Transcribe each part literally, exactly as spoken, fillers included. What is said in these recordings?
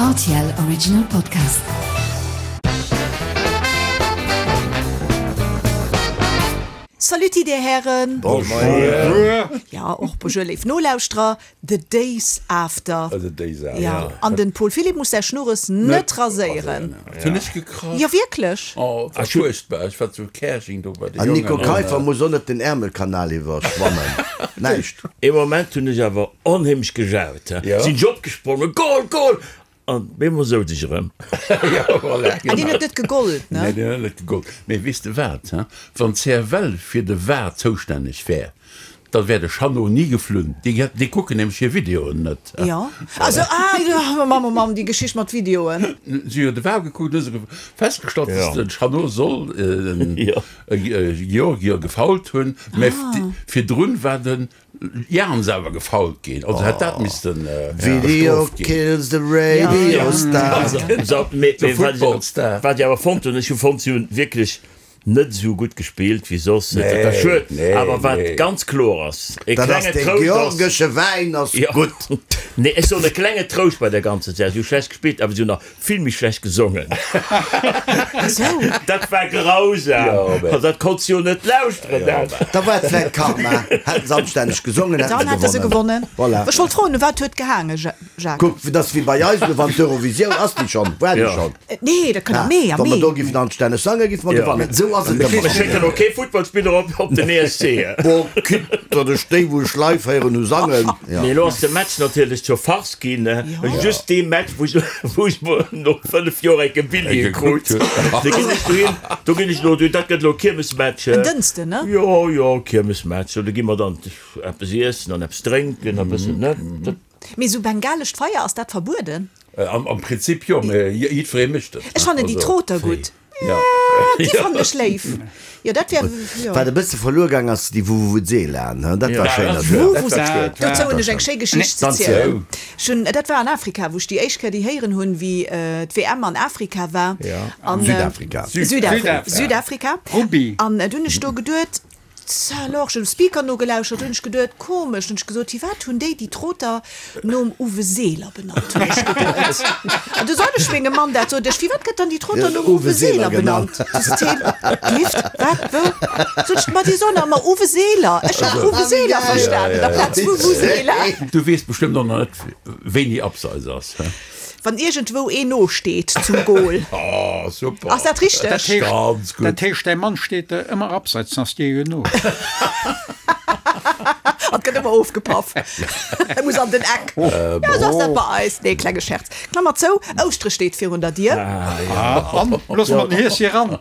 R T L Original Podcast. Saluti, Dir Hären. Bonjour. Ja, och bonjour, léif Nolauschterer. The Days After. The Days After. Ja, an den Paul Philipp muss säi Schnurres net raséieren. Hunn ech gekrasch? Jo, wierklech. Oh, dat war fuerchtbar. Ech war zu Käerjeng do bei de An Jongen. Nico Keiffer muss och net den Ärmelkanal iwwerschwammen. Näischt. Ee Moment hunn ech awer onheemlech gejaut, sinn ech opgesprongen, Goal, Goal! An bemol souz ech erëm. Ja, voilà, An deen huet net gegollt, ne? Nee, deen huet net gegollt. Mee weess de wat, he? Wann d'C F L fir de VAR zoustänneg wär, da wär de Jeannot ni geflunn. Déi, déi kucken nämlech hir Videoen net. Jo. Also, ah, jo, Mamm, oh Mamm, déi Geschicht mat Videoen. Si hu de VAR gekuckt, hu se festgestallt, dass de Jeannot soll en Georgier gefoult hunn, mä virdrun war de Jans awer gefoult ginn, also hätt dat missten Video bestrooft ginn. kills the radio star. So, mee, De mee wat Football Star. wat ech awer fonnt hunn, ech hu fonnt, si hunn wierklech net esou gutt gespillt wéi soss. Dat ass schued. Nee, Awer wat nee. ganz kloer ass, e Dat ass klenge dee Trouscht ass, georgesche Wäin ass Ja. gutt. Nee, ech soen e klenge Trouscht bei der ganzer Saach, si hu schlecht gespillt, awer si hunn nach vill méi schlecht gesongen. Esou. Dat war grausam. Jo, mä. Also dat konns du jo net lauschteren, dat. Da war et vläit Karma. Hätten se anstänneg gesongen, hätten Dann se hätte se gewonnen. gewonnen. Voilà. Ech wollt froen, u wat huet gehaangen, Jacques? Kuck, dat ass wéi bei eis elo, wann d'Eurovisioun, ass déi schonn? War déi Ja. schonn? Nee, dat kënnt am Mee, am Wa mer Mee. do giffen anstänneg sangen, giffe mer Ja. gewannen. Esou ass et Mir ëmmer. schécken och kee Futtballspiller op, op den E S C. Boah, quitte datt ech déi, wou ech live héieren hu sangen. Ja. Mee elo ass de Match natierlech zur Farce ginn. Just dee Match, wou ech, wou ech mol no fënnef Joer enke Billjee krut. Do ginn ech dohin, do ginn ech elo dohin, dat gëtt elo Kiermesmatch. En Dënschden, ne? Jo, jo, Kiermesmatch. Do gi mer dann eppes iessen an eppes drénken a bëssen, ne? Dat. Mee sou bengalescht Feier, ass dat verbueden? Am, am Prinzip jo, mee jiddweree mécht et. Ech fannen déi Also, Troter gutt. Ja. Déi fannen ech léif. Jo, dat wär, jo. Wat e bësse verluer gaang ass, déi Vuvuzelaen, he? Dat war schéin natierlech. Vuvuzela, dozou hunn ech eng schéi Geschicht ze Dann zielen. ziel. Ech hunn, dat war an Afrika, wou ech déi éischt Kéier déi héieren hunn, wéi d'W M an Afrika war. An, Südafrika. Südafrika. Südafrika. Rugby. An du hunn ech do geduet, Ça alors, ech hunn dem Speaker nogelauschert, hunn ech geduet, komesch, hunn ech gesot, firwat hunn déi déi Troter nom Uwe Seeler benannt, hunn ech geduet. An du sot ech mengem Mann dat, sot ech, firwat gëtt dann déi Troter nom Uwe Seeler benannt? Du sot hien, Gift, wat, wou? Sot ech, ma déi soen ëmmer Uwe Seeler. Ech hat Uwe Seeler verstanen amplaz Vuvuzela. Du weess bestëmmt och nach net, wéini Abseits ass, he? Wann iergendwou een no steet zum Goal. Oh, super. Ass dat richteg? Dat heescht, Ganz gutt. dat heescht, däi Mann steet ëmmer abseits, dann ass dir jo no. An gëtt ëmmer ofgepaff. E muss an den Eck. Ja, esou ass dat bei eis. Nee, klenge Scherz. Klammer zou, Ouschtere steet virun der Dier. An loosse mer den Hies hier ran.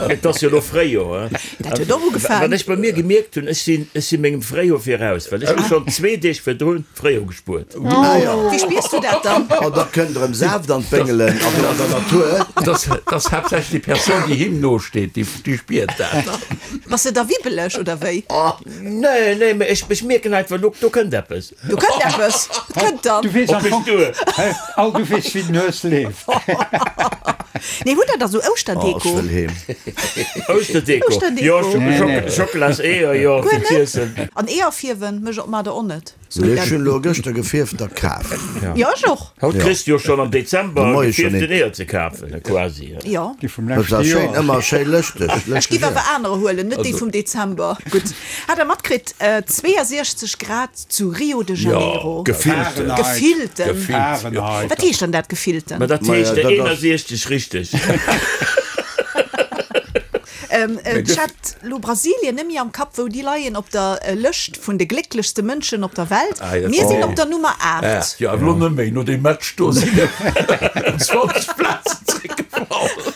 Et ass jo elo Fréijoer. Dat huet och ugefaangen. Wat ech bei mir gemierkt hunn, ech sinn, ech si mengem Fréijoer viraus, well ech hu schonn zwee Deeg virdrun Fréijoer gespuert. Wéi spiers du dat dann? Oh, da kënnt erëm Saaft an d'Béngelen an an der Natur. Dat ass haaptsächlech déi Persoun, déi him nosteet, déi, déi spiert dat. Bass de da wibbeleg oder wéi? Nee, nee, mee ech, ech mierken einfach, do, do kënnt eppes. Do kënnt eppes. Et kënnt dann. Du weess Op am mech Fong, duer. hä, all du weess, wéi den Hues leeft. Nee, hutt der da sou Oh, ech Ouschterdeko? wëll heem. Ouschterdeko? Ouschterdeko. Jo, Schok, Nee, Schok, nee. Schockela's Eeër, jo, Guer fir net? z'iessen. An Eeër fierwen mécht och mat der och net. Sou Ech dat. hunn elo gëschter gefierfter kaf. Jo, ech och. Haut kriss de jo schonn am De Dezember Moie schonn gefierften een. Eeër ze kafen, quasi. Jo. Déi vum Dat leschte ass schéin, Joer. ëmmer schéi lëschteg, Ech lëschteg giff awer Eeër. anerer huelen, net déi vum Dezember. Gutt. Hat der matkritt, zweeënsechzeg Grad zu Rio de Janeiro. Jo, gefillten. Fahrenheit. Gefillten. Gefillt, jo. Fahrenheit. Wat heescht dann dat gefillten? Ma dat Maja, heescht dat ass. eenasechzeg richteg. Ähm, ech hat lo Brasilien net méi am Kapp, wou déi leien op der Lëscht vun de glécklechste Mënschen op der Welt. Ah, ja, Mir sinn oh. op der Nummer aacht. Jo, awer elo net méi. No deem Match do sinn ëm zwanzeg Plazen zréckgefall.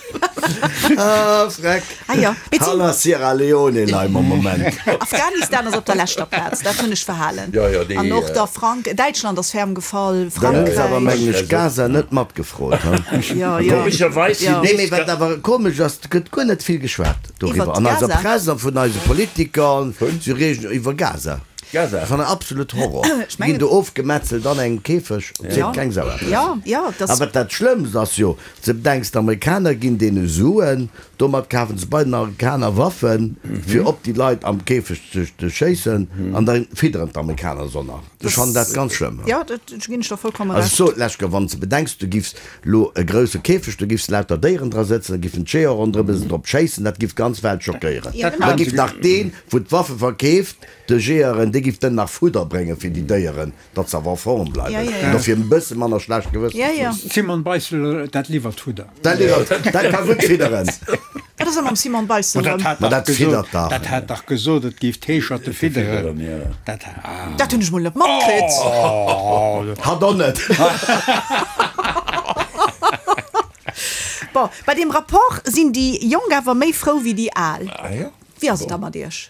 Ah, freck. Ah jo. Mee d'sinn. Hanner Sierra Leone leie mer am Moment. Afghanistan ass op der leschter Plaz, dat hunn ech verhalen. Jo, jo, déi, An och äh, da Frank, Däitschland ass ferm gefall, Dann hunn se awer, Frankräich. mengen ech, Gaza net matgefrot, he? Jo, jo. Komescherweis sinn Jo. Nee, mee wat awer komesch ass, et gëtt guer net vill geschwat doriwwer Iwwert an eiser Gaza? Press a vun eise Politiker. Si reegen iwwer Gaza. Gaza. Ech fannen absolut Horror. Ech Déi mengen- ginn do ofgemetzelt an engem Käfeg, et seet keng Sau eppes. Ja, ja, das- A wat dat Schlëmmst ass jo, s de bedenks, d'Amerikaner ginn deene Suen, domat kafen se bei den Amerikaner Waffen, fir op déi Leit am Käfeg ze ze schéissen, an da fidderen d'Amerikaner se och nach. Ech fannen dat ganz schlëmm. Ja, dat ginn ech der vollkommen Also Recht. ech sot lech gär, wann s de bedenks, du giffs lo e grousse Käfeg, du giffs lauter Déieren dra sëtzen, da giffen d'Jeeër ronderëm se drop schéissen, dat giff d'ganz Welt schockéieren. Ja, genau. Da giff nach deen, wou d'Waffe verkeeft, de Jeeëren, dee giff dann nach Fudder bréngen fir déi Déieren, datt se awer a Form bleiwen. Ja, ja, ja. Dofir e bësse manner schlecht Gewëssen Ja, ze ja. hunn. Simon Beissel, dat liwwert Fudder. Dat liwwert, dat ka gutt fidderen. Wat ass da mam Simon Beissel? Dat hat Ma dach dat gesot, fiddert dach. dat hat dach gesot, et géif d'Heescherte fidderen. Fidderen, ja. Dat, ah. Dat hunn ech mol net matkritt. Oh, Hat och net. Bon, bei deem Rapport sinn déi Jonk awer méi frou wéi déi Al. Ah, ja? Wéi ass et da mat iech?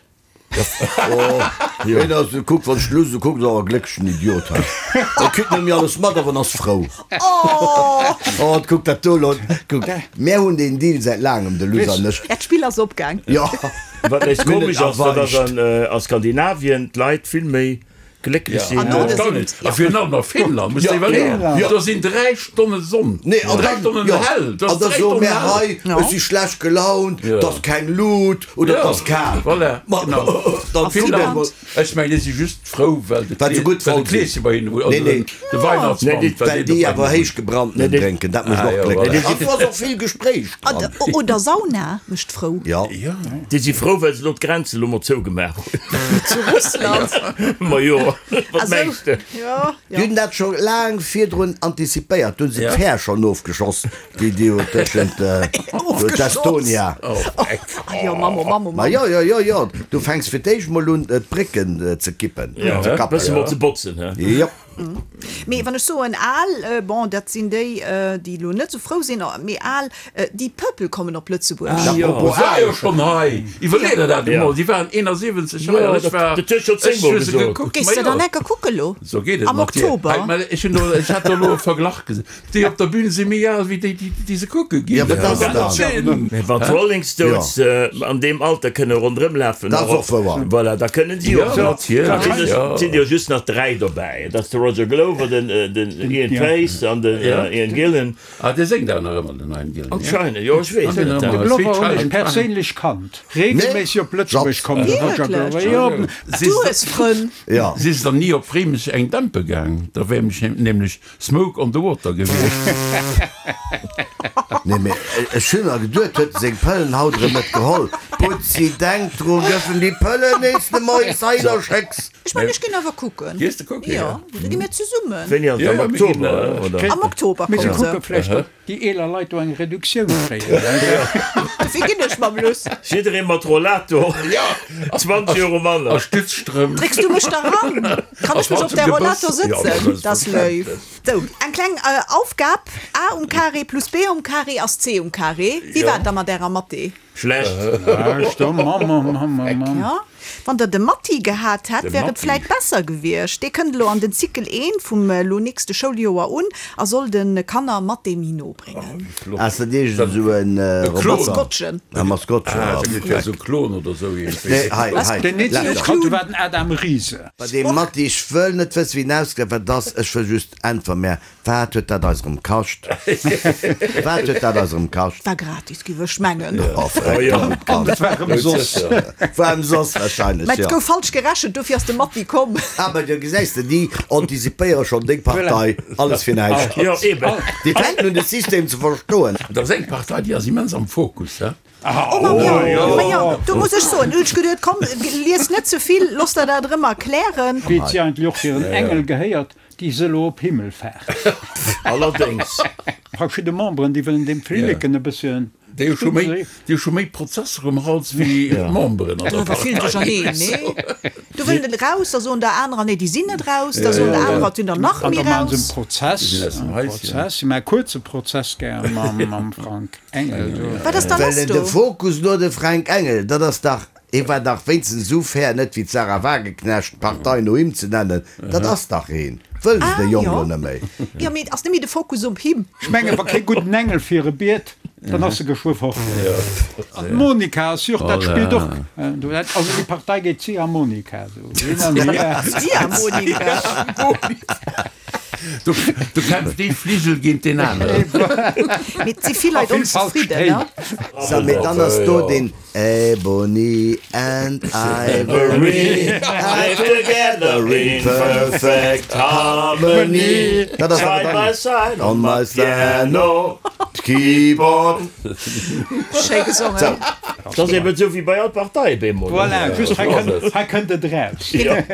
Oh, hien ass, kuck, wann ech lues kuck, ass awer e glécklechen Idiot hei. E kritt net méi alles mat, awer en ass frou. Oh! Oh, kuck dat do elo, kuck. Mär hunn deen Deal säit laangem, de Luss an ech. Ja, d'Spill ass opgaang. Jo. Wat nees Mir hunn komesch et ass, dat ass erweicht. an, a Skandinavien d'Leit vill méi glécklech sinn. An Norde sinn et, A virun allem a Finnland, muss de iwwerleeën. Ja. Do sinn dräi Stonne Sonn, Nee, an dräi dann, Stonnen ja, hell. Do an ass da dräi soe Stonnen mär hell. hei, Ja. ech si schlecht gelaunt, Ja. 't ass keng Lut oder 't Ja, ass kal. voilà, Ma, genau. dann A fill Finnland? dat mol. Ech mengen, déi si just frou, well de Well se gutt well voll de sinn. Kleeschen bei hinnen, also Nee, nee. de Weihnachtsmann, Nee, déi- well Well deen déi bei awer hinnen héich gebrannten Nee, déi- drénken, dat mécht Ah, och ja, glécklech. voilà. An do ass och vill Gespréich An dran. d- Oder Sauna mécht frou. Ja. Ja. Déi si frou, well se elo d'Grenze elo mol zougemaach hunn. Zu Russland. Ma jo, wat Also, mengs de? ja, Déi ja. hunn dat scho laang virdrun antizipéiert, do hunn se Ja. d'Fähr schonn ofgeschoss, déi déi jo tëschent Ofgeschoss. d'Estonia. Oh, eck. Ah, jo, Mammo, Mammo, Ma Mammo. jo, jo, jo, jo, du fänks fir d'éischt mol un, d'Brécken ze kippen, Ja, ze bësse kappen. mol ze botzen, hä? Jo. Mee wann ech soen al, äh, bon, dat sinn déi, äh, déi elo net sou frou sinn, mee al, äh, déi Pöppel kommen op Lëtzebuerg. Ah, jo. Oh, war jo schonn hei. Iwwerlee der dat Ja. emol. Si waren eenansiwwenzeg hei Ja, an ech dat- war. dat huet scho ech zéngmol hu se gesot. gekuckt. Gees Ma de jo. dann enker kucke lo? So geet et Am mat dir. Oktober? Hei, mä ech hunn do, ech hat do elo e Verglach gesinn. Déi op der Bühn si méi al wéi déi, déi, déi se kucke ginn. Ja, wat ass dat? Sinn. Mä wann d'Rolling Stones äh, an deem Alter kënne ronderëm lafen, Dat ass och wouer. Voilà, da kënnen si Ja, och. natierlech, Da sinn ja. sinn jo just nach dräi dobäi. Dat ass de Roger Glover, den, äh, den Ian Ja. Paice an den Ja. äh, Ian Gillan. Ah, dee séngt awer nach ëmmer, den Ian Gillan, ja? Anscheinend, jo, ech weess An den net. ëmmer. De Glover Sweet hunn ech Child. perséinlech kannt. Regelméisseg op Lëtzebuerg Jobs. komm, de Roger Wierklech? Glover. Jo, Du hues Frënn. Ja. Si ass dann ni op Réimech eng Dämpe gaang. Da wär nämlech, nämlech Smoke on the Water gewiescht. Nee, mee ech hunn mer geduet, huet seng Pëllen haut erëm net geholl. Putzi, denk dru, gëff em déi Pëllen nees de Moies hei da schécks. Ech mengen, ech ginn awer kucken. Gees de kucken, Ja, ja. da gi mir zesummen. Wéini ass Ja, am ja, mir Oktober, ginn, äh, oder? Am Oktober Mee se kommen se. kucke vläicht, ob déi eeler Leit do eng Reduktioun kréien. Dofir ginn ech mam Luss. Jidderee mat Rollator. Ja. zwanzeg Euro manner. A Stützstrëmp. Drécks du mech da ran? Kann ech mech op der Rollator sëtzen? Das léif. Sou, eng kleng äh, Aufgab. A um Carré plus B um Carré ass C um Carré. Wéi war et da mat ärer Mathé? Schlecht. Ah, stomm, Mamm, Mamm, Mamm, Mamm. Ja. Wann der de Matti gehat hätt, De wär et Matti. vläit besser gewiescht. Dee kënnt elo an den Zykel eent vum äh, lo nächste Schouljoer un a soll de Kanner Mathé méi no bréngen. Ass dat iergend esou en äh, E Klon. Roboter? Maskottchen. E Maskottchen, Ah, ja. dat gëtt ja sou Klon oder sou iergendwéi. Nee, hei, hei. Den nächsten Lass ech kannt, war den Adam Riese. Bei deem Matti, ech wëll net wëssen, wéi en ausgesäit, wat ass, ech wëll just äntweren, mä wat huet dat eis erëm kascht? Wat huet dat eis erëm kascht? War gratis, giff ech mengen. Oh, Oh, ja. An dat war ëmsoss. War ëmsoss wahrscheinlech, Mä et ja. gouf falsch gerechent, dofir ass de Matti komm. Aber du gesäis de, déi antizipéiere schonn deng Partei, alles fir näischt. Jo, eben. Déi fänken un, de System ze verstoen. Dat ass eng Partei, déi ass immens am Fokus, hä? Oh, ma jo, ma jo, do muss ech soen, hunn ech geduet, komm, lies net ze vill, looss der dat erëm erklären. Wéi et si eigentlech och fir en Engel gehéiert, déi se elo op Himmelfaart. Allerdéngs. Verschidde Memberen, déi wëllen dem Flilleken e bësschen. Déi hu scho méi, déi hu scho méi Prozesser um Hals wéi d'Memberen an der Da vill Partei. duercherneen, nee. Do wëllen den raus, da soen der anerer, nee, déi sinn net raus, da soen der anerer, et sinn der nach An méi da maachen se raus. en Prozess, Déi sinn aus dem en Häuschen. Prozess, si maachen e kuerze Prozess gär mam, mam Frank Engel do. Wat ass da Well lass en de do? Fokus no de Frank Engel, dat ass dach, hie war dach wéinstens esou fair, net wéi d'Sarah Wagenknecht, d'Partei no him ze nennen. Dat ass dach een. Wëll se Ah, de Jong jo. lo net méi. Ja, mee ass net méi de Fokus op him? Ech mengen, wa kee gudden Engel fir e biet. Dann ass se geschwë fort. An d'Monika ass jo och, dat spillt och, also déi Partei geet Ziehharmonika, esou hin an hier. Ziehharmonika. Do, do kämpft ee Fligel géint deen aneren. Mee et si vill Leit onzefridden, ne? Sou, mee dann ass do deen Ebony and Ivory are together in perfect harmony. Dat ass awer Side dann by side on my piano keyboard. Schéi gesongen. Dat ass eben esou wéi bei all Partei bemol. Voilà, just hei kënnt, hei kënnt et eraus.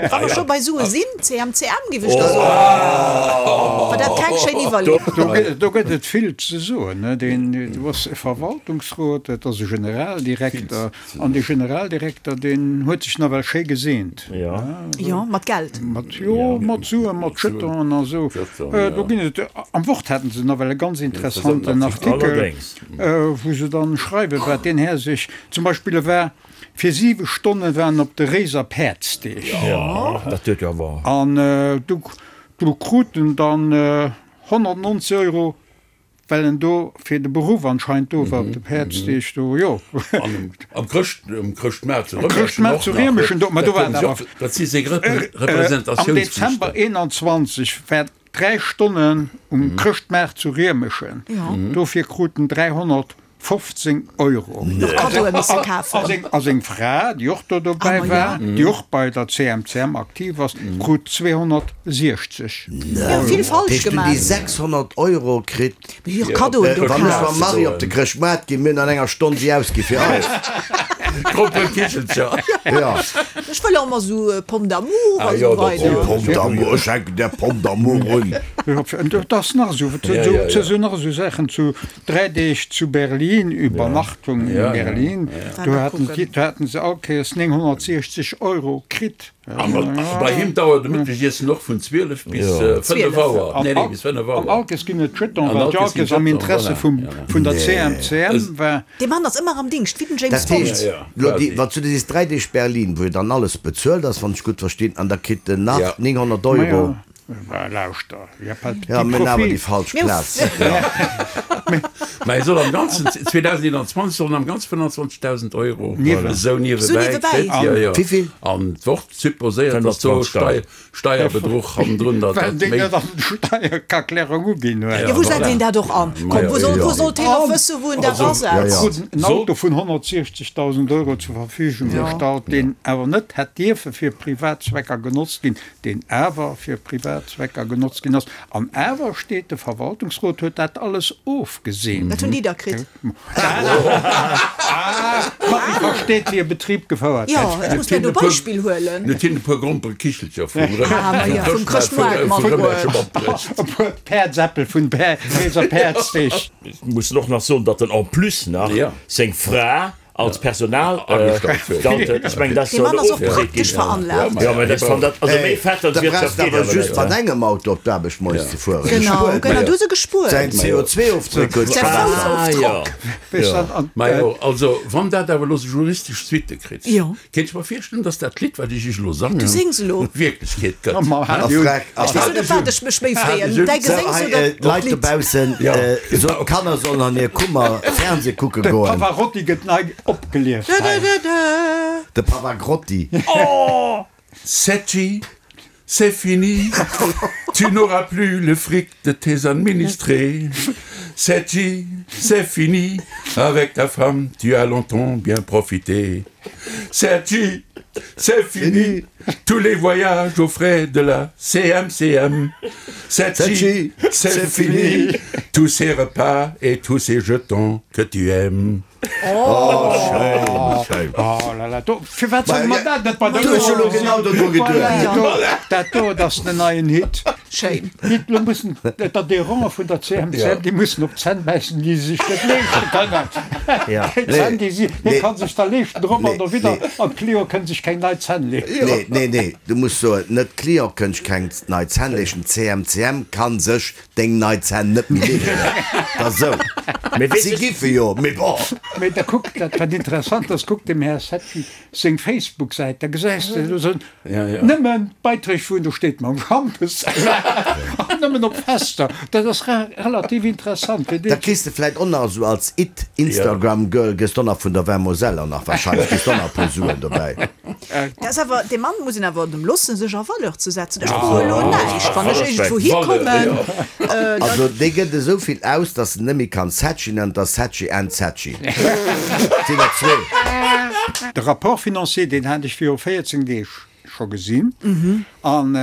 Wa mer scho bei Sue sinn, CMCM giff ech da soen. War dat keng schéin Iwwerleeung? Do gëtt, do gëtt et vill ze soen, ne. Deen, do ass e Verwaltungsrot, et ass e Generaldirekter, an dee Generaldirekter, deen huet sech nawell schéi geseent. Jo. Jo, mat Geld. Mat, jo, mat Suen, mat Jetonen a sou. Do ginn et, am Wort haten se nawell e ganz interessanten Artikel. Allerdéngs. Wou se dann schreiwen, wat deen Här sech zum Beispill, e war fir siwe Stonne war en op de Réiser Päerdsdeeg. Jo, dat huet jo awer. An do, do krut en dann honnert-nonzeg Euro, well en do fir de Beruff anscheinend do war op de Päerdsdeeg do, jo. An am Chrëscht, um Chrëschtmaart zu Am Chrëschtmaart zu Riemeschen do, ma do war et awer. Dat si seng Am Representatiounsflichten. Dezember eenanzwanzeg war Dräi Stonnen um Chrëschtmaart zu Riemeschen, dofir krut en dräihonnertfofzéng Euro. A seng Fra, déi och do dobäi war, déi och bei der C M C M aktiv ass, krut zweehonnertsiechzeg Euro. Dat heescht, hunn déi sechshonnert Euro kritt? Wann ech mam Marie op de Chrëschtmaart ginn, mir hunn an enger Stonn déi ausgi fir eis. Gromperekichelcher. Ja. Ech wëll och emmer sou Pomme d'amour Ah a jo, sou dat weider. Oh, Pomme d'amour, ech hänken där Pomme d'amour un. Et ass nach esou, Ja, ja, ja. et sinn nach esou Saachen, zu dräi Deeg zu Berlin, Übernachtung in Ja, ja, Berlin, ja. do haten si, do haten se all Kéiers nénghonnertsiechzeg Euro kritt. A bei him dauert de Mëttegiessen och vun zwielef bis fënnef Auer. Nee, nee, bis fënnef Auer. An all Kéiers ginn et Jeton, An well all Kéiers d'Jalkes ginn am Jeton, Interesse voilà. vum, vun der Nee. C M C M war. Dee Mann ass ëmmer am Dingscht, wéi den James Dat heescht, Bond. Ja, ja, lo déi, quasi. wann s du sees dräi Deeg Berlin, wou jo dann alles bezuelt ass, wann ech gutt verstinn, an da kritt en nach Ja. nénghonnert Euro. Majo, lauschter, y a pas de Ja, petit mir hunn awer déi profit. falsch Mir hu Plaz. Ja. Mä e soll am Ganzen, zweedausendeenanzwanzeg soll en am Ganze fënnanzwanzegdausend Euro esou Sou niewebäi niewebäi. kritt. Jo, jo. Wéivill? An d'Wort supposéiert, datt do Stei Steierbedruch hannendrun, datt Well dat deen méi. net an der Steiererklärung uginn huet. Jo, wou setzt een dat och an? Komm, wou soll, wou sollt hien och wëssen, wou en dat Also, asetzt? ja, ja. Krut en Soll. Auto vun honnertsiechzegdausend Euro zur Verfügung gestallt, deen awer net hätt dierfe fir privat Zwecker genotzt ginn, deen awer fir privat Zwecker genotzt ginn ass. An awer steet, de Verwaltungsrot huet dat alles ofgeseent. Wat hunn déi da kritt? Ah, Marie versteet, wéi e Betrib gefouert Jo, gëtt. ech muss mir do Beispill huelen. Huet hien e puer Gromperekichelcher vum Ah, ma jo, vum Chrëschtmaart matbruecht. matbruecht. E puer Päerdsäppel vun Réiser Päerdsdeeg. Ech muss och nach soen, datt en en plus nach Ja. seng Fra als Personal Agestallt huet. gestallt huet. Ech mengen, dat Dee soll Mann ass och ofgeseet praktesch ginn. veranlaagt. Jo, mä dat fand dat, also méi fett als Da brauchst Wirtschaft de geet awer awer just net. mat engem Auto op d'Aarbecht moies ze fueren. Genau, Gespuert. genau, du hues e gespuert. Säin C O zwei Ofdréck huet Säi verbessert. Ah, jo. Foussofdrock. Weess dat, an, Majo, also wann dat awer elo sou juristesch Suitte kritt, Jo. kéint ech mer virstellen, datt dat Lidd, wat ech iech elo sangen, Du sings elo. Wierklechkeet gëtt. Ma A hat jo- frech, a Ech weess net, op wat ech mech méi freeën, däi So, Geséngs hei, oder äh, d'Leit d'Lidd. dobaussen, Ja. äh, so, d'Kanner sollen an hir Kummer Fernseh kucke De goen. Pavarotti gëtt nei opgelieft. Da, da, da, da. De Pavagrotti. Setchi, c'est fini, tu n'auras plus le fric de tes administrés. Setchi, c'est fini, avec ta femme, tu as longtemps bien profité. Setchi, c'est fini, tous les voyages aux frais de la C M C M. Setchi, Setchi, c'est c'est fini, tous ces repas et tous ces jetons que tu aimes. Oh, schéin, schéin. Oh là là, do, firwat solle mer dat net bei der Du hues jo lo genau dodru geduecht. Voilà, dat do, dat ass en neien Hit. Schéin. Hit, lo mussen d'Adhérenten vun der C M C M, déi mussen op d'Zänn bäissen, déi se sech net leeschte kënnen. Ja. Déi Zänn, déi si, hie Nee. kann sech da leeschten, drop an Nee, derwidder, nee. an d'Client kënnt sech keng nei Zänn leeschten. Nee, nee, nee, du muss soen, net d'Client kënnt sech keng nei Zänn leeschten, d'C M C M kann sech deng nei Zänn net méi leeschten. Dat ass esou. Mee weess Si ech- giffe jo, mee bon. Mee da kuck, dat wat interessant ass, kuck dem Här Secchi seng Facebook-Säit, da gesäis de, do sinn Ja, ja. nëmmen Beiträg vun, do steet mam Schampes Nëmmen op Fester. Dat ass relativ interessant. Da kriss de vläit och nach esou als it Instagram Girl gëss de och nach vun der Vin Moselle och nach wahrscheinlech kriss de och nach e puer Suen dobäi. Dat ass awer, dee Mann muss een awer dem loossen sech a Valeur ze setzen. Ech froe elo näischt, wann ech iergendwou hikommen, da. Also dee gëtt esou vill aus, dass en net méi kann Saatchi nennen, et ass Saatchi and Saatchi. Et sinn der zwee. De Rapport financier, deen hat ech viru véierzéng Deeg scho gesinn an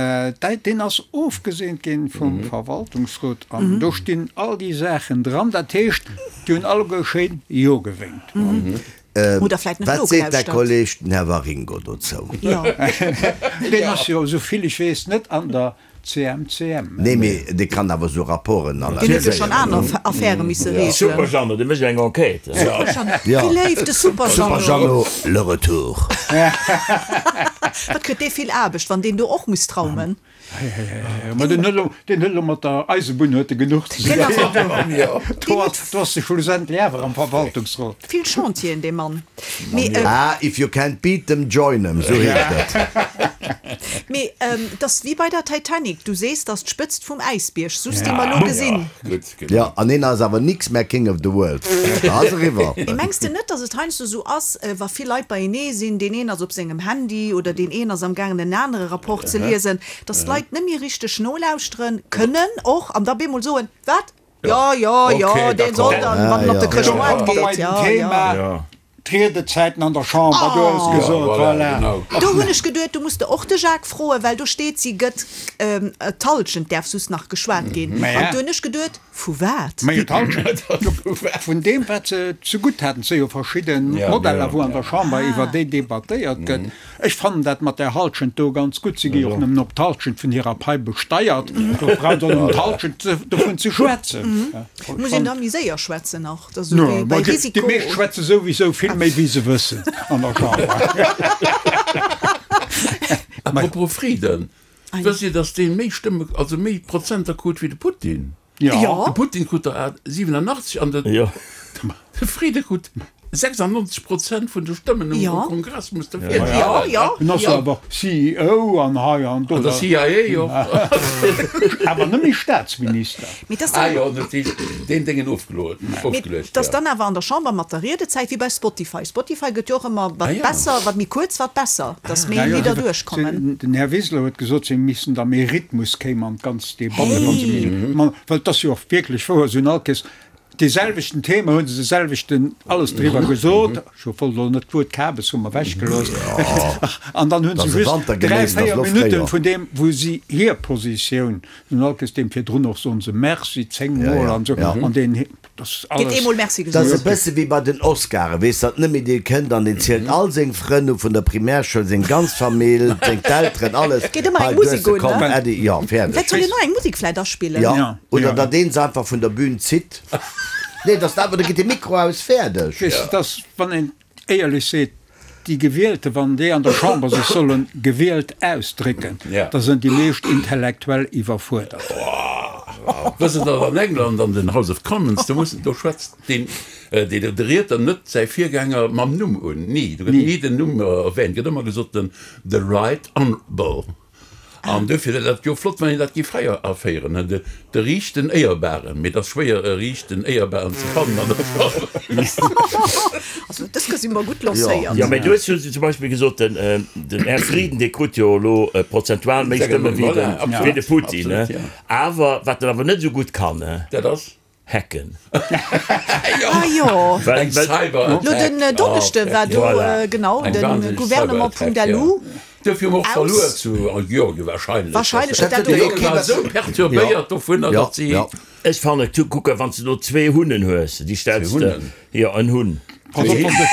deen ass ofgeseent ginn vum Verwaltungsrot an do stinn all déi Saachen dran. Dat heescht, déi hunn alleguer schéin Jo gewénkt. Oder vläit net Wat seet däi nogelauschtert. Kolleg, den Här Waringo, dozou? Jo. Deen ass jo, esou vill ech weess, net an der C M C M. Nee, mee dee kann awer esou Rapporten Deen huet jo schonn analyséieren. aner Affäre misse Super reegelen. Jeannot, dee mécht eng Enquête. Super Jeannot, Ja. wéi léif, de Super Super Jeannot. Jeannot, le retour. Wat kritt dee vill Aarbecht, wann deen do och muss traumen. Ma deen huet elo, deen huet elo mat der Eisebunn huet e genuch ze Deen ass och dinn. Do Deen ass, huet do ass de schlussendlech awer am Verwaltungsrot. vill Chantieren, dee Mann. Mee, Ah, if you can't beat them, join them, esou heescht et. Mee et ass wéi bei der Titanic, du sees, 't ass d'Spëtzt vum Äisbierg, soss déi mer elo gesinn. Jo, an een ass awer nix mehr King of the World. Da ass eriwwer. Mee mengs de net, datt et heiansdo esou ass, wa vill Leit beienee sinn, deen een ass op sengem Handy oder deen een ass am gaangen en anere Rapport ze liesen, datt d'Leit net méi richteg nolauschteren kënnen och an da bemol soen, Wat? Jo, jo, jo, deen soll dann, wann en op de Chrëschtmoart geet, jo, jo. D'Riedezäiten an der Chamber, du hues gesot, voilà. Do hunn ech geduet, do muss de och de Jacques froen, well do steet, si gëtt d'Hallschent däerf soss nach geschwat ginn. An do hunn ech geduet, vu wat? Majo, d'Hallschent vun deem, wat se zegutt haten. Et si jo verschidde Modeller, wou an der Chamber iwwer déi debattéiert gëtt. Ech fannen dat mat där Hallschent do ganz gutt. Si gi jo och nëmmen op d'Hallschent vun hirer Pai besteiert. Do brauch se och nëmmen d'Hallschent dovun ze schwätzen. Muss een da méi séier schwätzen nach? Dat ass esou wéi bei Risiko. Déi meescht schwätze souwisou vill méi wéi se wëssen an der Chamber. Apropos Frieden, wësst Dir, datt dee méi Stëmme, also méi Prozenter krut wéi de Putin? Jo. De Putin krut der siwenanachtzeg an de Frieden krut sechsundneunzeg Prozent vun de Stëmmen um Kongress, muss de virstellen. Jo, jo. En ass jo awer C E O an hei an do. An der C I A och. Awer net méi Staatsminister. Mee dass Ah dann, jo, dat heescht, deen Déngen ofgeluecht, mee ofgeluecht, dass ja. dann awer an der Chamber mat der Riedezäit, wéi bei Spotify, Spotify gëtt jo och ëmmer, Ah wat ja. besser, wat méi kuerz, wat besser, dass méi Ja, jo, Lidder se, duerchkommen. den Här Wiseler huet gesot, se missten da méi Rhythmus kéim an d'ganz Debatte, wann se méi, Hey! ma well et ass jo och wierklech wouer, se hunn all Kees Dee selwechten Thema hu se de selwechten alles driwwer gesot. Ech wollt elo net d'Wuert Kabes hu mer ewechgelooss. An dann hu se just dräi, véier Minutten vun deem, wou si hir Positioun, den Alkes deem virdrun och soen se Merci zéng Mol an esou, an deen, dat ass Gëtt alles. eemol Merci Dat ass gesot. e bësse wéi bei den Oscaren, weess datt net méi dee kënnt an deen zielt all seng Frënn u vun der Primärschoul, seng ganz Famill, seng d'Elteren, alles. Geet ëmmer Hei eng du hues Musek se, un, komm ne? Äddi, jo, fäerdeg. Vläicht soll een och eng Musek vläicht aspillen. Jo, oder datt een se einfach vun der Bühn zitt. Nee, dass dat, da geet de Mikro aus, fäerdeg. Weess de, dass, wann een éierlech seet, déi Gewielte, wann déi an der Chamber sech solle gewielt ausdrécken, da sënn déi meescht intellektuell iwwerfuerdert. Wësst Der, datt an England an den House of Commons, do muss, do schwätzt deen, deen, de Riedner net säi Virgänger mam Numm un, ni, do gëtt ni den Numm erwähnt, gëtt ëmmer gesot den the right honourable. An dofir wär dat jo flott, wann een dat géif fréier aféieren, ne, de, de riichten Éierbaren. Mee et ass schwéier, e riichten Éierbaren ze fannen an der Chamber. Also, dës Kéier si mer gutt lancéiert. Jo, mee du hues jo zum Beispill gesot, den, den Här Frieden, dee krut jo elo prozentual méi Stëmme wéi de, wéi de Putin, ne? Awer wat en awer net esou gutt kann, ne? Dat ass? Hacken. Ah jo. Well, Eng well, Cyberattack. Lo den Donneschde war do, Voilà. genau, Eng de wahnsinneg Gouvernement Cyberattack, Punkt ja. lu. Dofir hu mer och Aus. verluer zu Georgien wahrscheinlech. Wahrscheinlech huet dat Déi och. Jonk waren esou perturbéiert dovunner, Ja, datt si. ja. Ech fannen, du, kuck, wann s de do zwee Hunnen hues, déi stells Zwee de, Hunnen? jo, en Hunn. Pass op, wann de.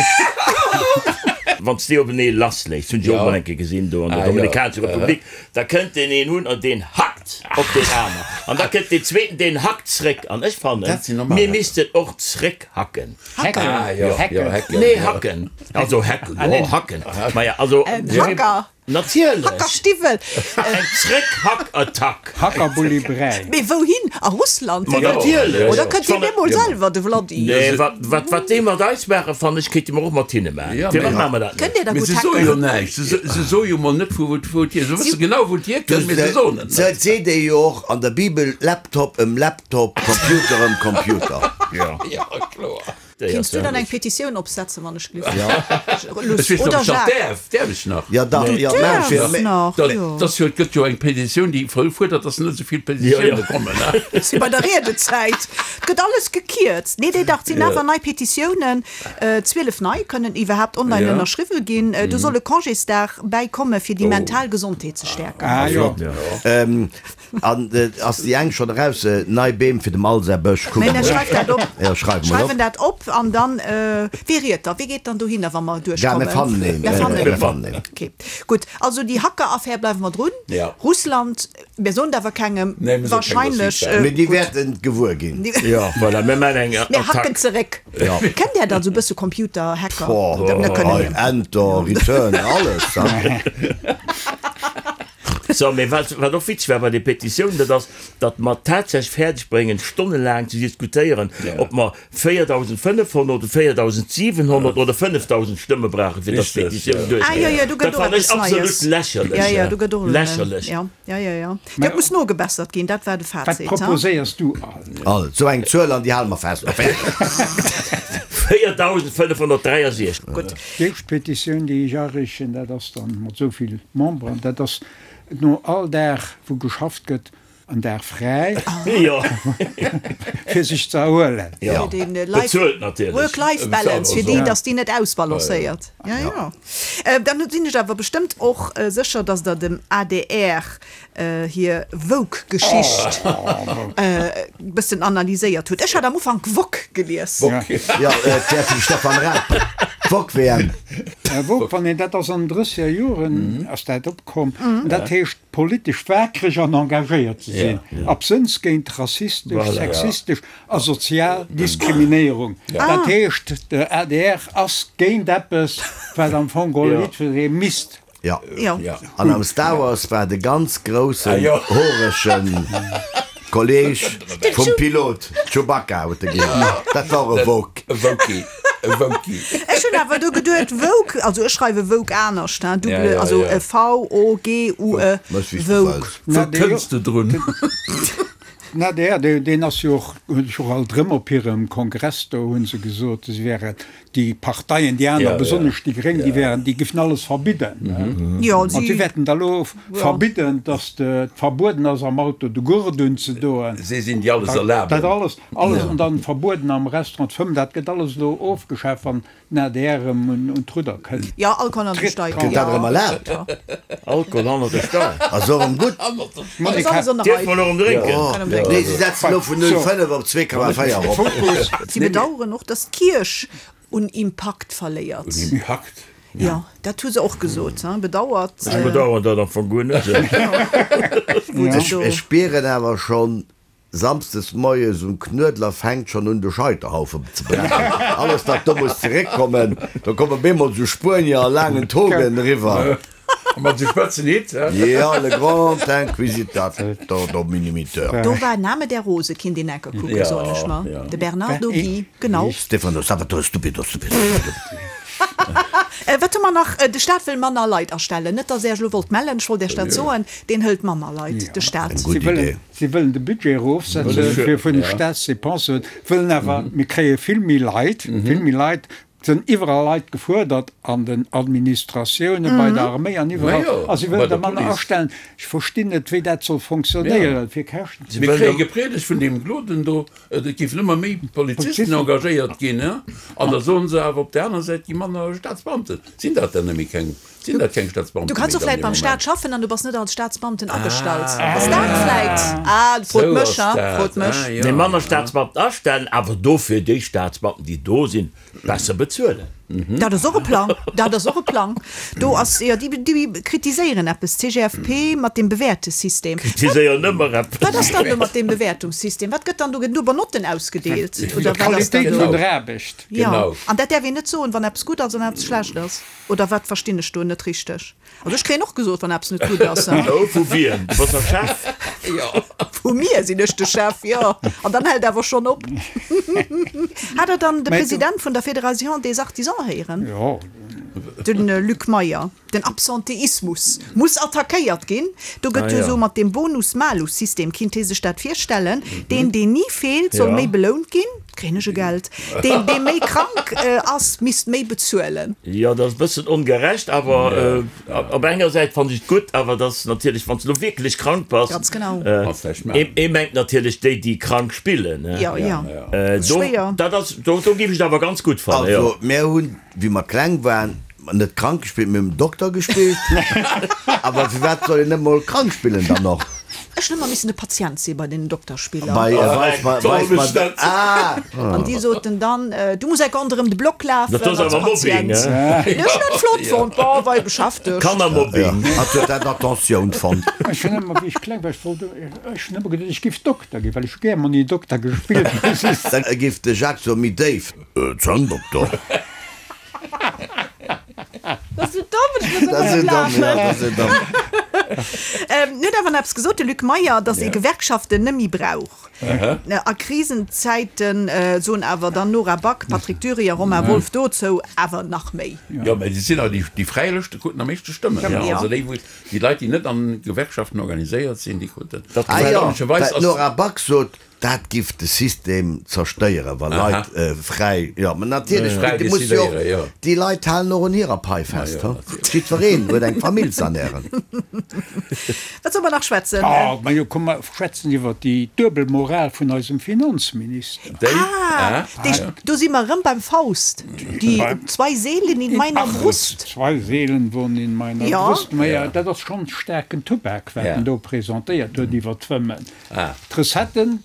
Wann s de déi openee lassléiss, hunn ech och Ja. mol eng Kéier gesinn do an der Ah, jo. Dominikanescher Republik, da kënnt deen een Hunn an deen hackt op deen aner. An da kënnt deen zweeten, deen hackt zréck. An ech fannen, Dat sinn normal mir Hacker. missten och zréckhacken. Hacken. Ah, jo, Hacken. jo, hacken, Nee, jo. hacken. Also hacken, jo, hacken. Maja, also. Hacker. Natierlech! Hackerstiwwel! Eng Zréck-Hack-Attack! Hackerbulli Bräi. Mee wouhin? A Russland? Ma natierlech! Oder kënnt deen emol selwer, de Vladdy? Nee, wat, wat, wat déi mat eis maachen, fannen ech, kéinte mer och mat hinne maachen. Ja, Firwat mee. maache mer dat net? Kënnt Dir da Mee gutt se soe jo hacken? näischt. Se, se soe jo mol net, vu wou, wou et hier. Se wësse genau, wou et hierkënnt, mee se soen et net. Et seet ee jo och an der Bibel, Laptop ëm Laptop, Computer ëm Computer. Ja. Ja, kloer. Kinns du dann eng Petitioun opsetzen, wann ech gelift? Ja. Ech weess net, ob Oder ech nach Jacques? däerf. Däerf ech nach? Ja, dach, Du ja, mä fir, däerfs mä. nach, Dat, jo. dat jo, et gëtt jo eng Petitioun, déi fuerdert, dass net esou vill Petitioune kommen, ne? Si bei der Riedezäit. Et gëtt alles gekierzt. Nee, nee, dach, et sinn awer nei Petitiounen. Zwielef nei kënnen iwwerhaapt online Ja. ënnerschriwwe ginn. Do soll e Congésdag bäikomme fir déi mental Gesondheet ze stäerken. Ah jo. Ähm, an ass déi eng schonn eraus? Nei Beem fir dem Al säi Bësch. Kuck Mä mol. schreif dat op. Ja, schreiwe mol op. Schreiwen dat op an dann, wie riet da? Wie geet dann dohinner, wa mer Ja, mir duerchkommen? fannen een. Mir fannen Mir een. fannen een. Okay, gutt. Also déi Hacker-Affär bleiwe mer drun. Ja. Russland, mir soen et awer kengem. Nee, mir soe kengem, dass Wahrscheinlech. si et Mee déi Gutt. wäerten et gewuer ginn. Ja, voilà, mir maachen eng Mir hacken Attack. zeréck. Ja. Kennt Där dann esou e bësse Computer-Hacker? Boah, Dat net kënnen hei, mir. Enter, Return, alles. So, mee wat, wat och witzeg war bei de Petitiounen, dat ass, datt mer tatsächlech fäerdeg bréngen, stonnelaang ze diskutéieren, ob mer véierdausendfënnefhonnert oder véierdausendsiwenhonnert oder fënnefdausend Stëmme brauchen, fir datt Richtig, d'Petitioun ja. duerchgeet. Ah, jo, jo, do gëtt Dat och fannen ech eppes absolut Neies. lächerlech. Ja, ja, do gëtt och Lächerlech. Ja, ja, ja, ja. Dat muss nogebessert ginn, dat war de Wat Fazit, ha? proposéiers du all? All, sou eng Zuel an déi hale mer fest. véierdausendfënnefhonnertdräiasechzeg. Gutt. Déi éischt Petitioun, déi ech areechen, dat ass dann mat esou vill Memberen, dat ass no all Dag, wou geschafft gëtt, en Dag fräi, Jo. fir sech ze erhuelen. Ja. Fir den Life, Bezuelt natierlech. Work-Life-Balance, fir déi, Ja. dass déi net ausbalancéiert. Ja, ja. Dann sinn ech awer bestëmmt och sécher, dass Der dem A D R hir Woke-Geschicht e bëssen analyséiert hutt. Ech hat am Ufank Wok gelies. Wok, ja, dat vum Stefan Raab. D'Wok-W M. Wok, wann een, dat ass an den drësseger Joren ass dat opkomm. Dat heescht politesch waakreg an engagéiert ze sinn, absënns géint rassistesch, sexistesch a sozial Diskriminéierung. Dat heescht, de A D R ass géint eppes, wat am Fong geholl jiddweree misst. Ja. Jo. An am Star Wars war de ganz groussen, hoeregen Kolleg vum Pilot, Chewbacca huet e geheescht, dat war e Woke. E Wokie. E Wokie. Ech hunn awer do geduet, Woke, also ech schreiwe Woke anescht, hein, double, Ja, ja, also ja. V-O-G-U-E, Méchs wéi s du Woke. wëlls. Wou kënns de drun? Na, der, deen, deen ass jo och, hunn ech och alt erëm op hirem Kongress do hu se gesot, se wären déi Parteien, déi aner, Ja, ja. besonnesch déi Gréng, déi wären, déi géifen alles verbidden. Jo, An si si, wäerten da elo verbidden, datt et verbueden ass am Auto de Gurt unzedoen. Si sinn déi alles Dat erlaben. alles, alles an dann verbueden am Restaurant fëmmen, dat gëtt alles elo ofgeschaaft, wann den A D R erëm un, un d'Rudder kënnt. jo, Alkohol an de Steig, Gëtt dat erëm jo. erlaabt? Alkohol hannert de Steier. Ass och erëm gutt. Ass alles an der Dierf Rei. mer elo erëm drénken? Oh, Kann erëm drénken. nee, si setzen elo vun null Komma fënnef op zwee Komma véier erop. Fokus. Si bedauern och, dass d'Kierch un Impakt verléiert. Un Impakt? Jo, dat hu se och gesot, hein, bedauert. Ech bedauern dat am Fong guer net. Wou se Ech, do. ech spieren awer schonn, Samsdes moies um Knuedler fänkt schonn un de Scheiterhaufen ze brennen. Alles wat do muss zeréckkommen, do komme bemol sou Spuenier a laangen Togen eriwwer. A mat sou spëtzen Hitt, hä? Ja, le grand inquisitateur dominimiteur. Do war Name der Rose, kinnt een enker kucken, Ja, soen ech mer. ja. De Bernardo Gui, genau. Stefano Salvatore Stupido Stupido Stupido. Wat hu mer nach? De Staat wëll manner Leit astellen. Net, datt Är ech elo wollt mellen, ech wollt Iech dat soen, deen hëlt manner Leit, de Staat. Eng gutt Si wëllen, Idee. si wëllen de Budget erofsetzen fir vun de Staatsdepensen, wëllen awer, mir kréie vill méi Leit, vill méi Leit, et sinn iwwerall Leit gefuerdert an den Administratiounen, bei der Arméi an iwwerall, Ma jo, a si bei wëllen der der manner Police. astellen. Ech verstinn net, wéi dat soll fonctionnéieren, fir Käschten ze. Mir kréie gepriedegt vun deem Gloden do, et géifen ëmmer méi Polizisten engagéiert ginn, an da soen se awer op där aner Säit gi manner Staatsbeamten. Sinn dat dann nëmme keng, sinn dat keng Staatsbeamte Du kanns méi och dann vläit dee beim Staat Moment? schaffen an du bass net als Staatsbeamten agestallt. Ass dat vläit? Ah, frot Sou mech, ass ha, dat. frot mech. Ah, jo. Nee, manner Staatsbeamten astellen, awer dofir déi Staatsbeamten, déi do sinn, besser bezuelen. Dat ass och e Plang, dat ass och e Plang. Do ass, jo, déi, déi kritiséieren eppes, d'CGFP mat deem Bewäertesystem. Kritiséieren ëmmer eppes. Wat ass dann do mat deem Bewäertungssystem? Wat gëtt dann do? Gëtt do iwwer Notten ausgedeelt oder wat ass dann D'Qualitéit do? vun der Aarbecht. Jo, an dat däerf een net soen, wann eppes gutt ass an eppes schlecht ass. Oder wat verstinn ech do net richteg? Also ech kréien och gesot, wann eppes net gutt ass. Oh, vu wiem? Du bass der Chef? Vu mir sinn ech de Chef, jo. An dann hält awer schonn op. Hat Der dann de President vun der Fédération des Artisans héieren? Jo. De Luc Meyer. Den Absenteismus muss attackéiert ginn. Do gëtt jo esou mat deem Bonus-Malus-System, kinnt ee sech dat virstellen, deen, deen ni feelt, soll méi belount ginn, kréien ech e Geld, deen, dee méi krank ass, misst méi bezuelen. Jo, dat ass e bëssen ongerecht, awer op enger Säit fannen ech et gutt, awer et ass natierlech, wann s de elo wierklech krank bass, Ganz genau. ee mengt natierlech déi, déi krank spillen, Jo, jo. Do, Schwéier. dat ass, do, do géif ech et awer ganz gutt fannen, jo. Also, mär hunn, wéi mer kleng waren, net krank gespillt, mir hunn Dokter gespillt. Awer firwat soll een net mol krank spillen dann och? Ech hunn ëmmer missen de Patient si bei den Dokterspiller. Bei weis mer, weis mer, ah! An déi soten dann, du muss enk ronderëm de Block lafen Dat ass als awer Mobbing, Patient. hein? Nee, ech hunn dat flott fonnt, bon, war ee beschäftegt. Kannermobbing. Ja, hatt huet dat Attentioun fonnt. Ech hunn ëmmer, wéi ech kleng war, ech wollt, ech hunn ëmmer geduet, ech géif Dokter ginn, well ech hu gär Monni Dokter gespillt. Dann géif de Jacques soen, méi déif, Zänndokter. Dat ass esou domm, ech muss Dat ass ëmmer esou domm, ja, laachen. dat ass esou domm. En huet awer nach eppes gesot, de Luc Meyer, datt ee Gewerkschaften net méi brauch. A Krisenzäiten soen awer dann Nora Back, Patrick Dury a Romain Wolff dozou awer nach méi. Jo, mä déi sinn awer déi, déi fräi Lëschte kruten am meeschte Stëmmen. Ja. Also déi, wou, déi Leit, déi net an Gewerkschaften organiséiert sinn, déi kruten. Dat Ah jo, Erstaunlecherweis well ass. d'Nora Back sot, Dat giff de System zerstéieren, wa Leit fräi, jo, mä natierlech, Fräi déi musse jo och, decidéieren, jo. déi Leit halen och un hirer Pai fest, ha? Jiddwereen huet eng Famill z'ernären. Wat solle mer nach schwätzen? Ah, majo, komm mer schwätzen iwwer déi duebel Moral vun eisem Finanzminister. Déi, Ah, déi, do si mer erëm beim Faust, die zwei Seelen in meiner Brust. Zwei Seelen wohnen in meiner Ja. Brust. Maja, dat ass schonn staarken Tubak, wat en do presentéiert huet iwwer d'Fëmmen. D'Recetten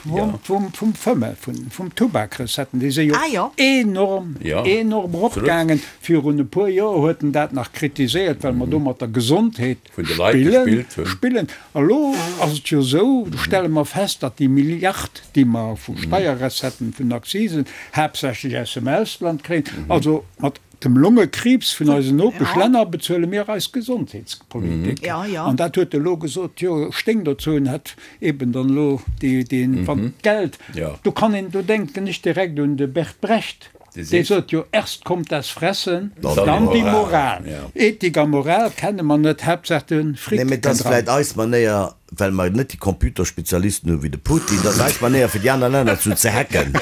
vum, vum, vum Fëmme, vun, vum Tubakrecettten, déi si jo Ah, jo. enorm, Ja, enorm eropgaangen. Virun e puer Joer huet en dat nach kritiséiert, well mer do mat der Gesondheet Vun de Leit spillen, gespillt hunn. spillen. A lo ass et jo esou, do stelle mer fest, datt déi Milliard, déi mer vu Steierrecetten, vun Akzisen, haaptsächlech aus dem Ausland kréien, also mat dem Longekriibs vun eisen Nopeschlänner bezuele mir eis Gesondheetspolitik. Ja, ja. An dat huet e lo gesot, jo, stéing dozou en hätt eben dann elo déi, deen, wann d'Geld, Ja. do kann een, do denken ech direkt un de Bert Brecht, Dee dee seet. sot jo, erst kommt das Fressen, Dann dann die die Moral. Moral. Ja. Ethik a Moral kenne mer net, Haaptsaach de Fric Nee, mee kënnt dat ass dran. vläit eis Manéier, well mer net déi Computerspezialisten hu wéi de Putin, dat ass eis Manéier fir déi aner Länner zu ze hacken,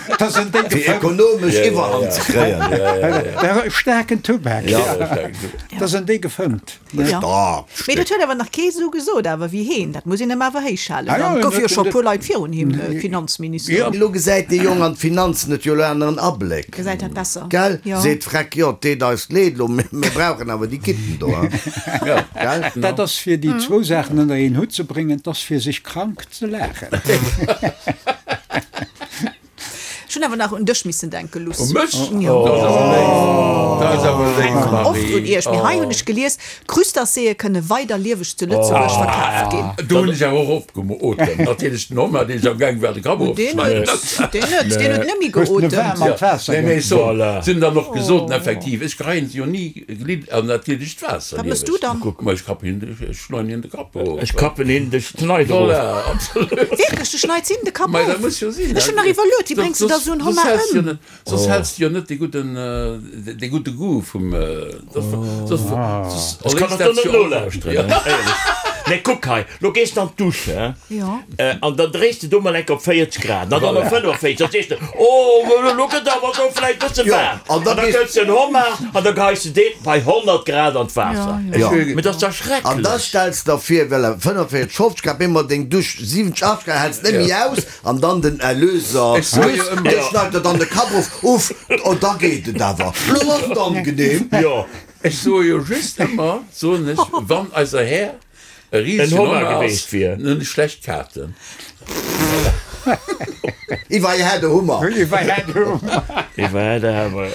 Dat ass en décke fir Fëmm. ekonomesch Iwwerhand ze kréien. Der staarken Tubak. Ja. Dat ass en décke Fëmmt. Ja. Stark. Mee dat huet awer nach kee sou gesot awer wéi heen. Dat muss een em awer héichhalen. Ah ja, Dann en gouf jo huet scho en puer Leit virun him Finanzminister. Ja. Elo gesäit dee Jong an d'Finanzen huet jo elo aneren Abléck. Gesäit dat besser. Gell? Ja. Seet Freck, jo, et deet eis leed elo, mee mir brauchen awer déi Kitten do, hein. Gell? Dat ass fir déi zwou Saachen ënner een Hutt ze bréngen, 't ass fir sech krank ze laachen. Ech hunn awer nach un dech missen denken, Luss. U mech? Jo. Dat ass awer léif. Dat ass awer léif, Oft un Marie. iech. Mee hei hunn ech gelies, Crustaceeë kënne weider lieweg zu Lëtzebuerg verkaaft ginn. Do hunn ech awer och opgeotemt. Natierlech den Homer, deen am Gaang war, de Kapp Deen erofzeschneiden. huet, deen huet, deen huet net méi Hues de geotemt. waarm an d'Waasser Nee, mee ech soen, Voilà. se hunn dann och gesot, effektiv, ech geheien se jo ni glidd an natierlecht Waasser. Wat mëss du dann? Kuck mol, ech kappen hien, ech schneiden hien de Kapp erof. Ech kappen hien de Schneider erof. Voilà, absolut. Wierklech, du schneids him de Kapp Mei, dat of? muss jo sinn. Ech hunn nach iwwerluet, wéi bréngs du da sou en Soss Homard häls jo ëm? net, soss häls du jo net dee gudden, dee gudde Goût vum, soss, soss, soss Ech kann erléist dat dat net jo och. nolauschteren, éierlech. Mee kuck hei, lo gees de an d'Dusch, hè, Jo. an dann dréis de do mol enk op véierzeg Grad, an dann op fënnefenvéierzeg, da sees de, oh, lo gëtt awer do vläicht bësse Jo, waarm. an An da da gees. kënns de en Homard an da geheis de deen bei honnert Grad an d'Waasser. Jo. Mee dat ass dach An da schrecklech. stells der vir, well e fënnefenvéierzeg, fofzeg Grad, bemol deng Dusch siwwenzeg, achtzeg Grad, häls net méi aus, an dann den Erlöser, Ech soe jo ëmmer. dee schneit der dann de Kapp of, uff, oh, da geet et awer. Lo ass et angenehm. Jo. Ech soe jo just ëmmer, soen ech, wann eiser Här e En risegen Homard Homard ass, geweest wier. dann hunn ech schlecht Kaarten. If I had a Hummer. If I had a Hummer. If I had a Hammer.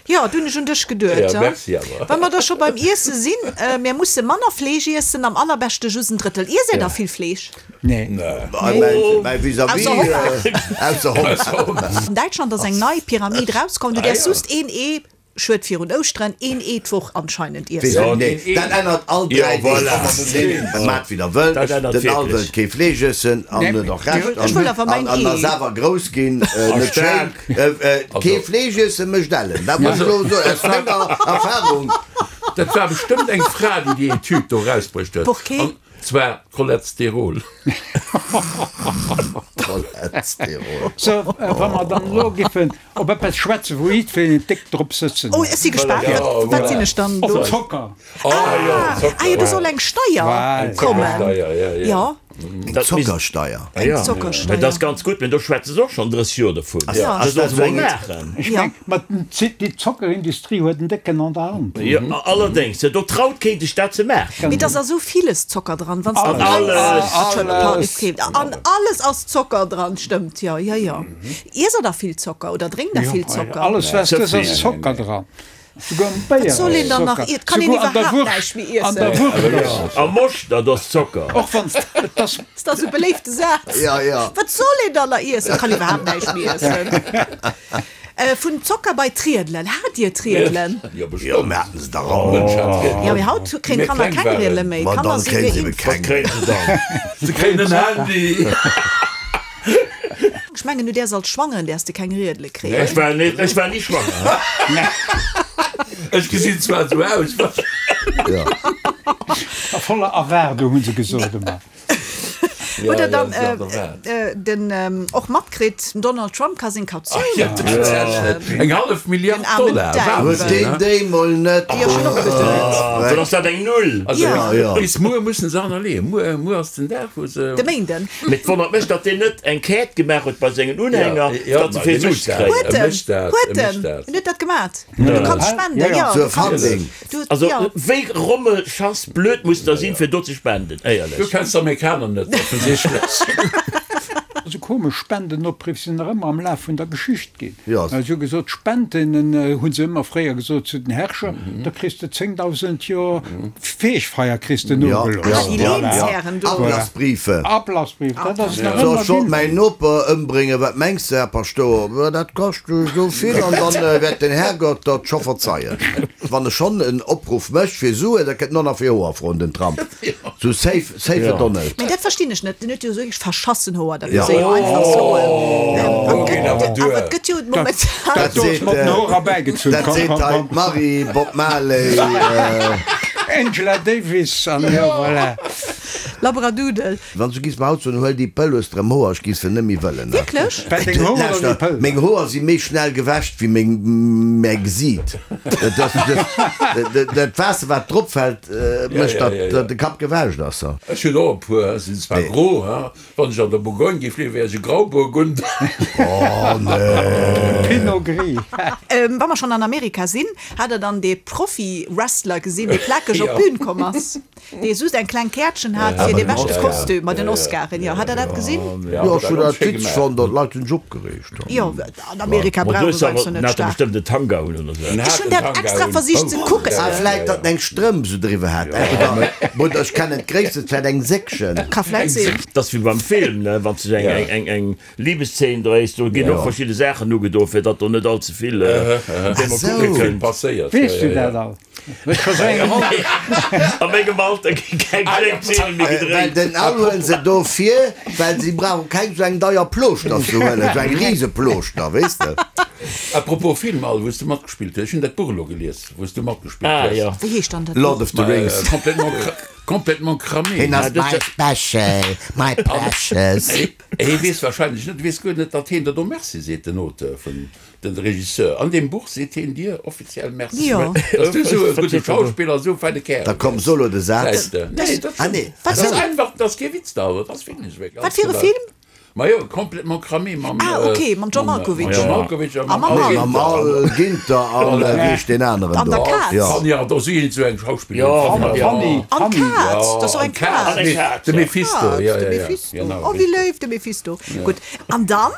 Jo, do hunn ech un dech geduet. Ja, merci awer. Wa mer da scho beim Iesse sinn, Mir musse manner Fleesch iessen, am allerbeschte just en Drëttel. Iesst Dir da vill Fleesch? Nee. Mäi Vis-à-vis, ausser Hond. An Däitschland ass eng nei Pyramid rauskomm, du däerfs just een Ee, schued virun Ouschteren, een Ee d'Woch anscheinend iessen. Nee, dat ännert all dräi Deeg. Maacht wéi der wëllt. Den Al wëllt kee Fleesch iessen an huet och Recht. Ech wëll awer mäin An Ee. ass awer grouss ginn. Net schéin. Kee Fleesch iessen mécht ellen. Dat muss ech elo soen aus menger Erfahrung. Dat war bestëmmt eng Fra, déi déi Etüd do erausbruecht huet. Porqué? An zwar Cholesterol. Cholesterol. So, wa mer dann elo giffen op eppes schwätzen, wou jiddwereen déck drop sëtzen Oh, ech si gespaant. Ja, Wat, wat voilà. sinn ech dann Op do? Zocker. Ah jo, Zocker. Ah jo, do soll eng Steier Voilà. kommen. Zockersteier, ja, ja. Ja. Eng Dat misst- Zockersteier. Eng Ja, Zockersteier. Mä dat ass ganz gutt, mä do schwätze se och schonn drësseg Joer dovun. Ja. Dat soll se mol eng- maachen. Ech Ja. meng, ma déi Zockerindustrie huet en décken an der Hand. Jo, allerdéngs, do traut keen sech dat ze maachen. Mee et ass a sou villes Zocker dran, wann s de Alles. alles, Alles. An alles ass Zocker dran, stëmmt, jo, jo, jo. Iesst der da vill Zocker oder drénkt der Jo, vill Zocker? Alles was Ze dës ass vill. Zocker dran. Souguer am Béier Wat soll een dann nach Zocker. iert? Kann een Souguer an der iwwerhaapt Wurscht. näischt méi An der iessen? Wurscht ass. Am Moschter, do ass Zocker. Och wann et ass. Ass dat sou beléifte Saz? Ja, ja. Wat soll een dann nach iessen? Kann iwwerhaapt näischt méi iessen. Vun Zocker bei d'Riedelen. Hat Dir d'Riedelen? Jo, Jo, bestëmmt. mir haten se dach all. Mënsch hat Riedelen. Jo, mee haut kréien Mir d'Kanner kleng keng waren. Riedele méi. Ma D'Kanner dann si kréien se geimpft. ebe Wat keng. kréien se dann? Se kréien en Handy. Ech mengen, du däers als Schwangeren däers de keng Riedele kréien. Ech war net, ech war ni schwanger. Ech gesinn zwar esou aus. Ja. A voller Erwaardung, hu se gesot ëmmer. Hutt der dann ja, ja, äh, den ähm, och matkritt, den Donald Trump ka seng Kautioun Ja, tatsächlich. Eng hallef Milliard Den armen Dollar. Däiwel. Huet Wahnsinn, deen ne? déi mol net. Jo, schon och geduet. Dann ass dat eng Null. Also, Ja. Ja. Bis muer mussen se anerleeën. Muer, muer ass den Dag, wou se. De Méinden. Mee et wonnert mech, datt deen net eng Quête gemaach huet bei sengen Unhänger, Ja, datt se ma vill dee Sue mécht dat. kréien. Huet Er en, mécht dat, huet er mécht en, dat. en huet dat gemat. Du kanns spenden, Ja, ja. ja. Zur Du kanns, Funding. du, Also, ja. wéi rommelschass blöd muss der sinn, fir do ze spenden, Du éierlech. kenns d'Amerikaner net, offensichtlech. Esou komesch Spendenopriff sinn nach ëmmer am Laf vun der Geschicht ginn. Ja. Si hu gesot, Spenden hu se ëmmer fréier gesot zu den Herrscher, da kriss de zéngdausend Joer Feegfeier kriss de Ja, nogelooss. ja, Ah, déi ja, Lehnsherren do. Ablassbriefe. Ablassbrief, dat ass nach So, ëmmer ech wollt gültig. mäin Noper ëmbréngen, wat mengs de, Här Paschtouer? Ma dat kascht esou vill an dann wäert den Härgott der et scho verzeien. Wann e schonn en Opruff mécht fir Suen, da kënnt en och nach fir Hoer froen, den Trump. Sou save, save the Donald. Mee dat verstinn ech net. Den huet jo esou wierklech verschassen Hoer, dat Ja. muss ee jo einfach soen. An ginn awer gëtt, duer. awer et gëtt jo momentan. Dat Do ass seet, mat den Hoer erbäigezunn. dat Komm, seet komm, hei komm. d'Marie, Bob Marley, Angela Davis an jo, voilà. Labradoodle. Wann s du giss mer haut soen, huel déi Pëll, hues de rëm Hoer, ech giss se net méi wëllen. Wierklech? Wat, deng Hoer oder déi Lauschter, Pëll? meng Hoer si méi schnell gewäscht wéi meng, mäi Gesiit. Dat ass, dat, dat, dat Waasser wat drop fält, mécht ja, datt, ja, ja. datt de Kapp gewäscht ass. Ech hunn och e puer, sinn zwar gro, ha. Wann ech an der Bourgogne géif liewen, wär ech e Grauburgunder. Oh nee. Pinot Gris. Wa mer schonn an Amerika sinn, hat der dann dee Profi-Wrestler gesinn, dee plakeg op d'Bün komm ass, dee just eng kleng Käertchen hat fir dee beschte Kostüm mat den Oscaren? Jo, hat der dat gesinn? Jo, ech hunn dat witzeg fonnt, datt d'Leit hunn sech opgereegt. Jo, an Amerika brauche se eis jo net En hat staark. bestëmmt en Tanga un oder sou. Ech hunn dat extra versicht ze kucken. Ah, vläit datt en eng Strëmp sou driwwer hat. Oder ech kennen d'Gréisst, vläit eng Säckchen. Ka vläit sinn. Dat ass wéi beim Film, ne, wann s de eng, eng, eng Libeszeen dréis, do ginn och verschidde Saachen ugedo, fir datt do net all ze vill, déi mer kucke kënnt. Passéiert. Weess du dat all? Ech scho sou eng Roll. A mengem Alter gi keng Zeene méi Well gedréit. den Al huelen se dofir, well si brauche keng sou eng deier Plooschter ze huelen, sou eng Riseplooschter, weess de. A propos Film, Al, wou s de matgespillt hues, ech hunn dat Buch elo gelies, wou s du matgespillt Ah, hues. jo. Wéi heescht dann dat Lord Buch? of the Rings. Complètement, complètement cramé. Hien ass my special, my precious. Hie weess wahrscheinlech net, weess guer net, datt hien der do Merci seet, den Auteur vun, den Regisseur. An deem Buch seet hien dir offiziell Merci. Jo. Dass du esou e gudde Schauspiller, esou feine Kärel Da komm, bass. so lo de Saz. Säis de. Nee, dat Ah, nee. Dat ass einfach, dat ass kee Witz da, dat ass wierklech. Wat fir e Film? Majo, complètement cramé mam. Ah, ok, mam John Malkovich. Mam John Malkovich a mam mam Al Mam Ginter. Al Ginter an wéi heescht deen aneren An do? der Kaz. Ja. Fanny Ardant, si hunn esou eng Schauspillerin. Jo, Fanny Fanny. Ardant. An Fanny. d'Kaz, dat ass och an eng Kaz. An eng Kaz, De ja. Mephisto, Kaz, ja, de ja, ja. Mephisto. Genau, Oh, wéi richtig. léif, de Mephisto. Gutt. An dann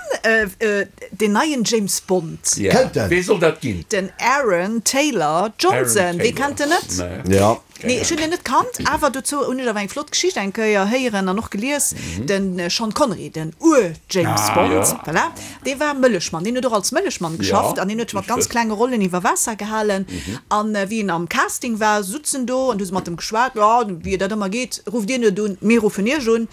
deen neien James Bond. Ja. Kennt en? Wee soll dat ginn? Den Aaron Taylor Johnson. Aaron Wee Taylor. kennt en net? Nee. Ja. Nee, ech hunn en net kannt, awer dozou hunn ech awer eng flott Geschicht eng Kéier héieren an och gelies, den Sean Connery, den Ur-James Bond, voilà, dee war Mëllechmann, deen huet och als Mëllechmann geschafft an deen huet sech mat ganz klenge Rollen iwwer Waasser gehalen. An wéi en am Casting war, sutz en do an du hu se mat em geschwat, jo, wéi dat ëmmer geet, rufft dir net un, mir ruffen iech un.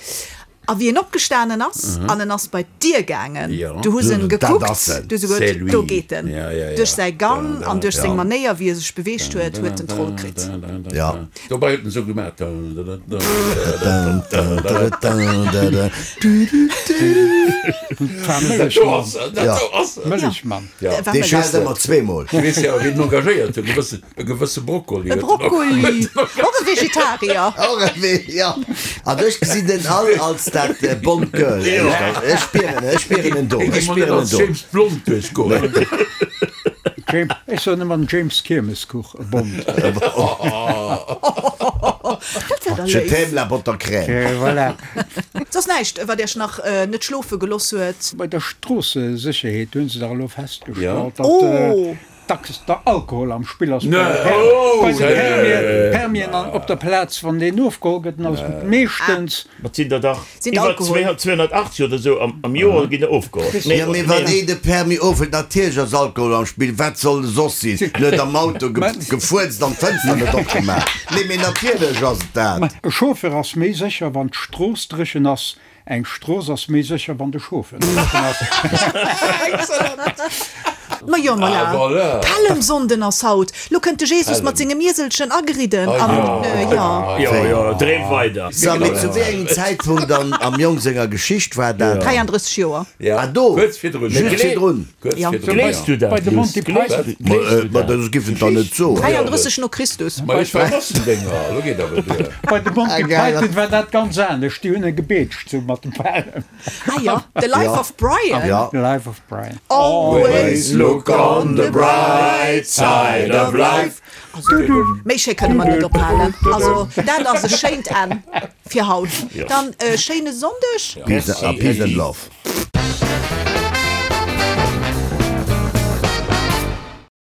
A wéi en opgestanen ass an en ass bei d'Dier gaangen, du hu se en gekuckt, du hu se geduet, do geet en. Duerch säi Gang an duerch seng Manéier, wéi e sech beweegt huet, huet en d'Roll kritt. Dobäi huet en esou gemaach. Mëllechmann. Dee schellt ëmmer zweemol. Weess jo, wien en engagéiert huet, e gewësse, e gewësse Brokkoli. E Brokkoli, och e Vegetarier. Och e Ve, ja. An ech gesinn den all als dat Bond Girl. Ech spieren, ech spieren en do. Ech spieren en do. James Blond duerchgoen. James, ech soen ëmmer den James Kiermeskuch, e Bond. Dat wär da Je léif. t'aime la botte crème. Voilà. Soss näischt, wat Iech nach net schlofe geloss huet? Bei der Stroossesécherheet hunn se dach elo festgestallt, datt Oh! dacks der Alkohol am Spill ass. Nee. Bei de Nee. Permien an op der Plaz, wann deen ofgeholl gëtt, dann ass et meeschtens. Mat sinn der dach Sinn iwwer Alkohol. zweehonnertachtzeg oder esou am Joer ginn der ofgeholl. Jo, mee wann een de Permis ofhëlt, natierlech ass Alkohol am Spill, wat soll e soss sinn? En huet am Auto gefuerzt an d'Fënster net opgemaach. Nee, mee natierlech ass et dat. E Chauffeur ass méi sécher, wann d'Strooss dréchen ass. Eng Strooss ass méi sécher, wann de Chauffeur dréchen ass. Excellent. Ma jo, ma Ah, la. voilà. Pällemsonnden ass haut. Lo kënnt de Jesus mat sengem Ieselchen ageridden an, jo. Jo, jo, dreem weider. So, mee zu wéi engem Zäitpunkt an, am Jong senger Geschicht war dat? dräiandrësseg Joer. Ja. Ah, do. Kuerz virdrun. Just virdrun. Kuerz Ja. virdrun, Gleefs ja. du dat? Bei de Monty Python. Ma, äh, ma dat giff en dann net soen. Dräiandrësseg no Christus. Ma ech war Massendénger, lo geet awer duer. Bei de Monty Ah, geil. Python war dat ganz anescht. Déi hunn e gebeetscht, sou mat dem Pälem. Ah ja, The Life Ja. of Brian. Ja. The Life of Brian. Always look on the bright side of life. Also, méi schéi kënne mer net ophalen. Also, dat ass e schéint Enn fir haut. Dann e schéine Sonndeg. Peace, peace and love.